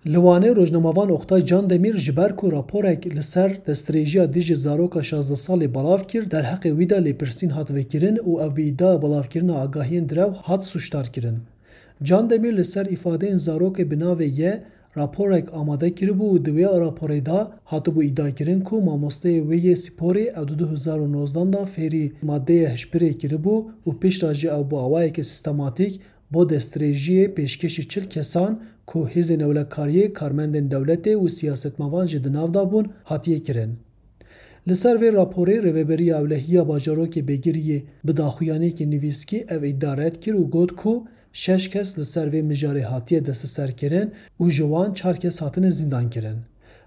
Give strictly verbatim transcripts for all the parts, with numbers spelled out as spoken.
Li Wanê rojnamevan Oktay Candemîr ji ber ku raporek li ser destdirêjiya dijî zaroka şazdeh salî belav kir, derheqê wî de lêpirsîn hat vekirin û ew bi îdaya belavkirina agahiyên direw hat sûcdar kirin. Candemîr li ser îfadeyên zarokê bi navê Y raporek amade kiribû û di wê raporê de hatibû îdiakirin ku mamosteyê wê yê sporê ew di du hezar û nozdan de fêrî madeyê hişbirê kiribû û piştre jî ew bi awayeke sîstematîk bo destdirêjiyê pêşkêşî çil kesan ku Hêzên Ewlekariyê, karmendên dewletê û siyasetmevan jî di nav de bûn, hatiye kirin. Li ser vê raporê Rêveberiya Ewlehî ya Bajarokê Bêgiriyê bi daxuyaniyekî nivîskî ev îdia red kir û got ku şeş kes li ser vê mijarê hatiye desteserkirin û ji wan çar kes hatine zîndankirin.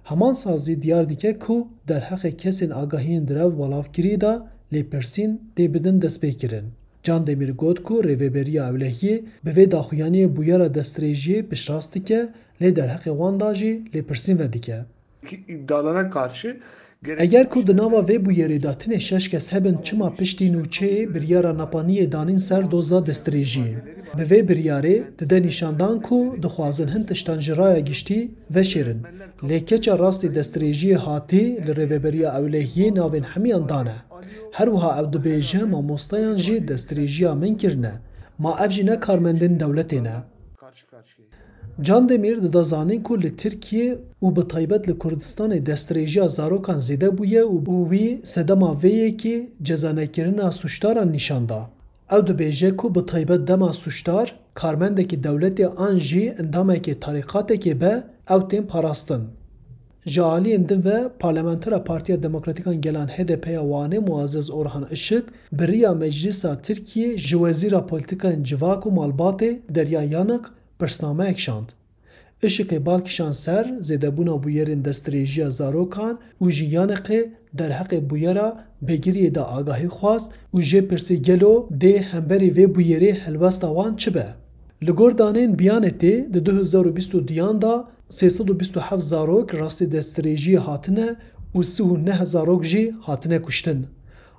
Heman sazî diyar dike ku derheqê kesên agahiyên direw belavkirî de lêpirsîn tê bidin destpêkirin. Candemîr got ku Rêveberiya Ewlehiyê bi vê daxuyaniyê bûyera destdirêjiyê piştrast dike, lê derheqê wan de jî lêpirsîn vedike. İddialara karşı Eger ku di nava vê bûyerê de tenê şeş kes hebin, çima piştî nûçeyê biryara nepaniyê danîn ser doza destdirêjiyê? Bi vê biryarê dide nîşandan ku dixwazin hin tiştan ji raya giştî veşêrin. Lê keça rastî destdirêjiyê hatî li Rêveberiya Ewlehiyê navên hemiyan dane. Her wiha ew dibêje, mamosteyan jî destdirêjiya min kirine. Ma ev jî ne karmendên dewletê ne. Candemîr dida zanîn ku li Tirkiyê û bi taybet li Kurdistanê destdirêjiya zarokan zêde bûye û wî sedema vê yekê cezanekirina sûcdaran nîşan da. Ew dibêje ku bi taybet dema sûcdar karmendekî dewletê an jî endamekê tarîqatekê be, ew tên parastin. Ji aliyên din ve Parlamentera Partiya Demokratîk a Gelan H D P ya Wanê Muazzez Orhan Işık bi riya Meclîsa Tirkiyê ji Wezîra Polîtîkayên Civak û Malbatê Derya Yanık pirsnameyek şand. Işıkê bal kişand ser zêdebûna bûyerên destdirêjiya zarokan û ji Yanıkê derheqê bûyera Bêgiriyê de agahî xwest û jê pirsî gelo dê hemberî vê bûyerê helwesta wan çi be? Li gor danên Biyanetê di du hezar û bîst û duyan de sê sed û bîst û heft zarok rastî destdirêjiyê hatine û sî û neh zarok jî hatine kuştin.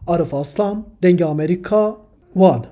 Arif Aslan, Dengê Amerîka, Wan.